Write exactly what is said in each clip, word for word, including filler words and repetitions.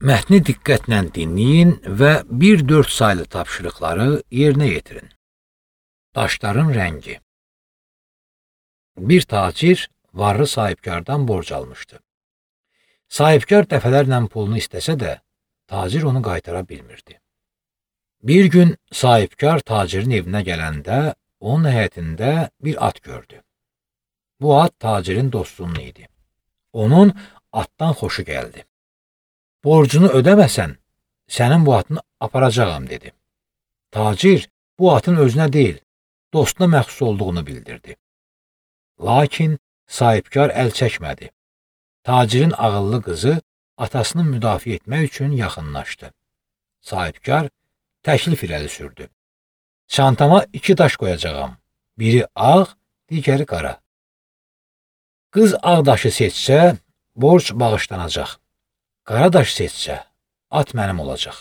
Mətni diqqətlə dinləyin və bir dörd saylı tapşırıqları yerinə yetirin. Daşların rəngi. Bir tacir varlı sahibkardan borc almışdı. Sahibkar dəfələrlə pulunu istəsə də, tacir onu qaytara bilmirdi. Bir gün sahibkar tacirin evinə gələndə, onun həyətində bir at gördü. Bu at tacirin dostunun idi. Onun atdan xoşu gəldi. Borcunu ödəməsən, sənin bu atını aparacağam, dedi. Tacir bu atın özünə deyil, dostuna məxsus olduğunu bildirdi. Lakin sahibkar əl çəkmədi. Tacirin ağıllı qızı atasını müdafiə etmək üçün yaxınlaşdı. Sahibkar təklif irəli sürdü. Çantama iki daş qoyacağam. Biri ağ, digəri qara. Qız ağ daşı seçsə, borc bağışlanacaq. Qara daş seçsə, at mənim olacaq.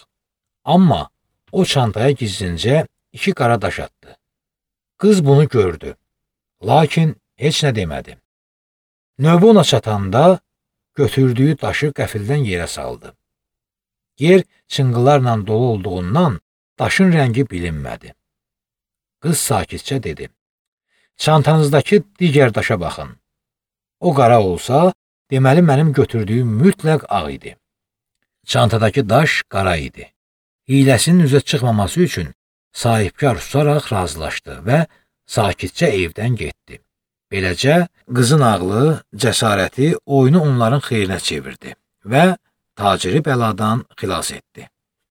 Amma o çantaya gizlincə iki qara daş atdı. Qız bunu gördü. Lakin heç nə demədi. Növbə ona çatanda götürdüyü daşı qəfildən yerə saldı. Yer çınqıllarla dolu olduğundan daşın rəngi bilinmədi. Qız sakitcə dedi. Çantanızdakı digər daşa baxın. O qara olsa, deməli mənim götürdüyüm mütləq ağ idi. Çantadakı daş qara idi. Hiləsinin üzə çıxmaması üçün sahibkar susaraq razılaşdı və sakitcə evdən getdi. Beləcə, qızın ağlı, cəsarəti oyunu onların xeyrinə çevirdi və taciri bəladan xilas etdi.